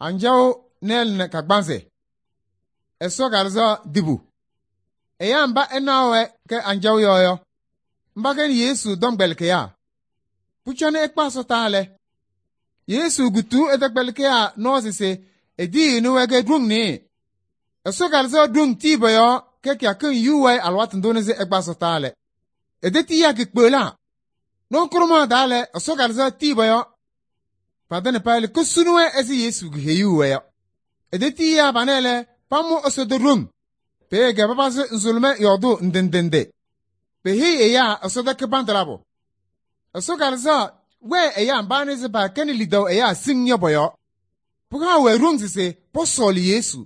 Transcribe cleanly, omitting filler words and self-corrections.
Anjaɣ nɩɩlɩnɩ kagbaanzɩ. Ɛsɔ Kalɩzaɣ dibu. Ɛyaa mba ɛnaɣ-wɛ kɛ anjaɣ yɔɔ yɔ, mba kɛnɩ Yesu tɔmkpɛlɩkɩyaa. Pʋcɔ nɛ ɛkpa ɛsɔtɔnʋʋ lɛ, Yesu kutuu ɛ-tɔmkpɛlɩkɩyaa nɔɔsɩ se etiyini-wɛ kɛ ɖoŋ nɩɩyɩ. Ɛsɔ Kalɩzaɣ ɖoŋ tii pɔ-yɔɔ kɛ kɩyakɩŋ yu wayɩ alɩwaatʋ ndʋ nɛ sɩ ɛkpa ɛsɔtɔnʋʋ lɛ. Etetiyaa kikpeɣlaa. Nɔɔ daa lɛ, Ɛsɔ Kalɩzaɣ tii pɔ-yɔɔ. Patɩŋa payɩ kosuni-wɛ ɛzɩ Yesu keheyuu-wɛ yɔ. Etetiyaa panɛ lɛ, pamʋ Ɛsɔtɔm ɖoŋ. Peeye papazɩ nzʋlʋmɛ yɔɔdʋʋ ndɩ ndɩ ndɩ. Peheyi ɛyaa Ɛsɔ kɩbandʋ labʋ. Ɛsɔ Kalɩzaɣ wɛɛ ɛyaa mba nɛ se paakɛnɩ lidaʋ ɛyaa siŋŋ yɔ pɔ-yɔɔ. Pɩhaɣ-wɛ ɖoŋ se pɔsɔɔlɩ Yesu.